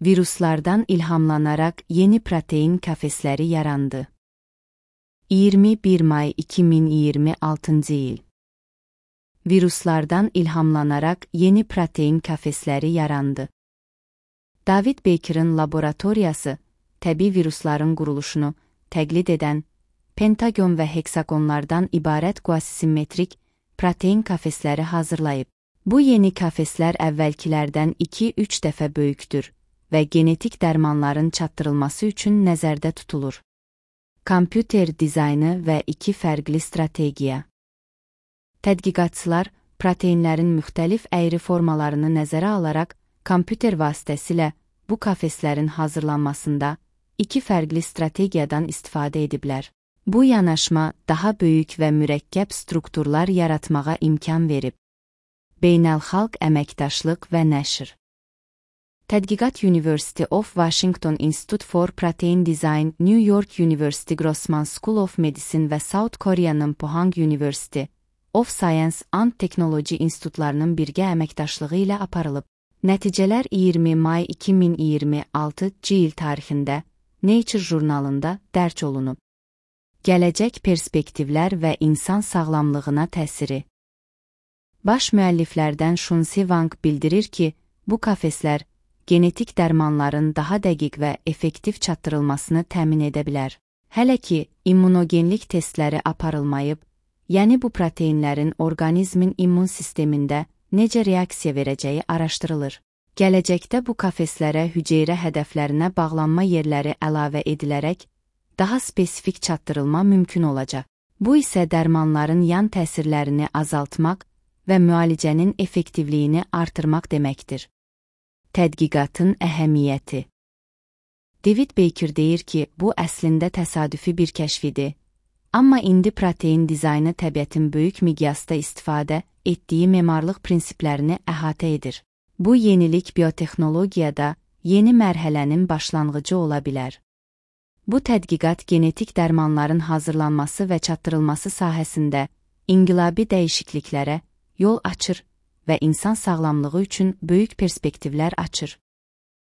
Viruslardan ilhamlanarak yeni protein kafesləri yarandı. 21 may 2026 il. Viruslardan ilhamlanarak yeni protein kafesləri yarandı. David Baker'ın laboratoriyası, təbii virusların quruluşunu təqlid edən, pentagon və heksagonlardan ibarət quasi-simmetrik protein kafesləri hazırlayıb. Bu yeni kafeslər əvvəlkilərdən 2-3 dəfə böyükdür və genetik dərmanların çatdırılması üçün nəzərdə tutulur. Kompüter dizaynı və 2 fərqli strategiya. Tədqiqatçılar proteinlərin müxtəlif əyri formalarını nəzərə alaraq kompüter vasitəsilə bu kafeslərin hazırlanmasında 2 fərqli strategiyadan istifadə ediblər. Bu yanaşma daha böyük və mürəkkəb strukturlar yaratmağa imkan verib. Beynəlxalq əməkdaşlıq və nəşr. Tədqiqat University of Washington Institute for Protein Design, New York University Grossman School of Medicine və South Korea'nın Pohang University of Science and Technology institutlarının birgə əməkdaşlığı ilə aparılıb. Nəticələr 20 may 2026 il tarixində Nature jurnalında dərc olunub. Gələcək perspektivlər və insan sağlamlığına təsiri. Baş müəlliflərdən Shunsi Wang bildirir ki, bu kafeslər genetik dərmanların daha dəqiq və effektiv çatdırılmasını təmin edə bilər. Hələ ki, immunogenlik testləri aparılmayıb, yəni bu proteinlərin orqanizmin immun sistemində necə reaksiya verəcəyi araşdırılır. Gələcəkdə bu kafeslərə hüceyrə hədəflərinə bağlanma yerləri əlavə edilərək, daha spesifik çatdırılma mümkün olacaq. Bu isə dərmanların yan təsirlərini azaltmaq və müalicənin effektivliyini artırmaq deməkdir. Tədqiqatın əhəmiyyəti. David Baker deyir ki, bu əslində təsadüfi bir kəşfidir, amma indi protein dizaynı təbiətin böyük miqyasda istifadə etdiyi memarlıq prinsiplərini əhatə edir. Bu yenilik biotexnologiyada yeni mərhələnin başlanğıcı ola bilər. Bu tədqiqat genetik dərmanların hazırlanması və çatdırılması sahəsində inqilabi dəyişikliklərə yol açır və insan sağlamlığı üçün böyük perspektivlər açır.